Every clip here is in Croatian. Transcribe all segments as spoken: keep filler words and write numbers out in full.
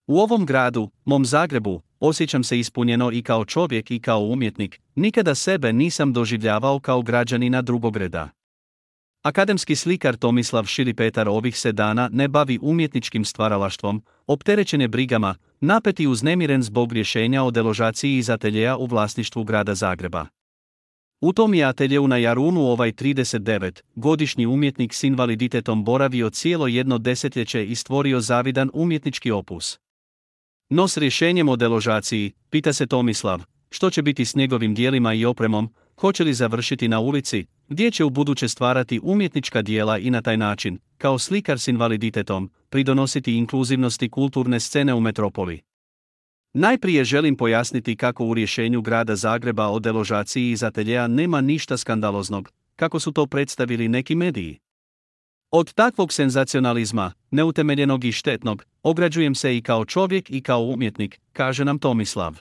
U ovom gradu, mom Zagrebu, osjećam se ispunjeno i kao čovjek i kao umjetnik, nikada sebe nisam doživljavao kao građanina drugog reda. Akademski slikar Tomislav Širipetar ovih se dana ne bavi umjetničkim stvaralaštvom, opterećen je brigama, napet i uznemiren zbog rješenja o deložaciji iz ateljeja u vlasništvu grada Zagreba. U tom je ateljeu na Jarunu ovaj tridesetdevetgodišnji umjetnik s invaliditetom boravio cijelo jedno desetljeće i stvorio zavidan umjetnički opus. No s rješenjem o deložaciji, pita se Tomislav, što će biti s njegovim dijelima i opremom, hoće li završiti na ulici, gdje će ubuduće stvarati umjetnička djela i na taj način, kao slikar s invaliditetom, pridonositi inkluzivnosti kulturne scene u metropoli. Najprije želim pojasniti kako u rješenju grada Zagreba o deložaciji iz ateljeja nema ništa skandaloznog, kako su to predstavili neki mediji. Od takvog senzacionalizma, neutemeljenog i štetnog, ograđujem se i kao čovjek i kao umjetnik, kaže nam Tomislav.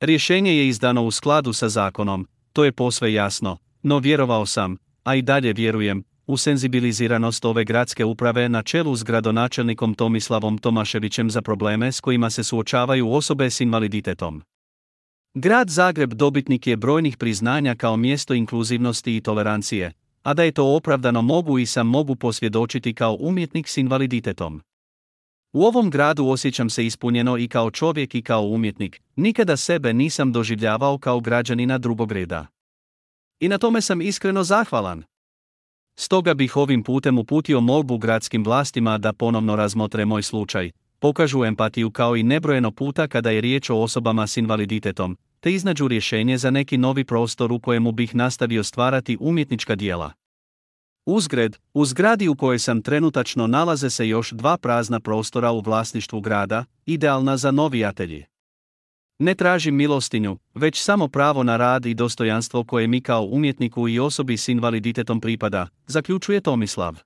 Rješenje je izdano u skladu sa zakonom, to je posve jasno, no vjerovao sam, a i dalje vjerujem, u senzibiliziranost ove gradske uprave na čelu s gradonačelnikom Tomislavom Tomaševićem za probleme s kojima se suočavaju osobe s invaliditetom. Grad Zagreb dobitnik je brojnih priznanja kao mjesto inkluzivnosti i tolerancije, a da je to opravdano mogu i sam mogu posvjedočiti kao umjetnik s invaliditetom. U ovom gradu osjećam se ispunjeno i kao čovjek i kao umjetnik, nikada sebe nisam doživljavao kao građanina drugog reda. I na tome sam iskreno zahvalan. Stoga bih ovim putem uputio molbu gradskim vlastima da ponovno razmotre moj slučaj, pokažu empatiju kao i nebrojeno puta kada je riječ o osobama s invaliditetom, te iznađu rješenje za neki novi prostor u kojemu bih nastavio stvarati umjetnička djela. Uzgred, u zgradi u kojoj sam trenutačno nalaze se još dva prazna prostora u vlasništvu grada, idealna za novi atelje. Ne tražim milostinju, već samo pravo na rad i dostojanstvo koje mi kao umjetniku i osobi s invaliditetom pripada, zaključuje Tomislav.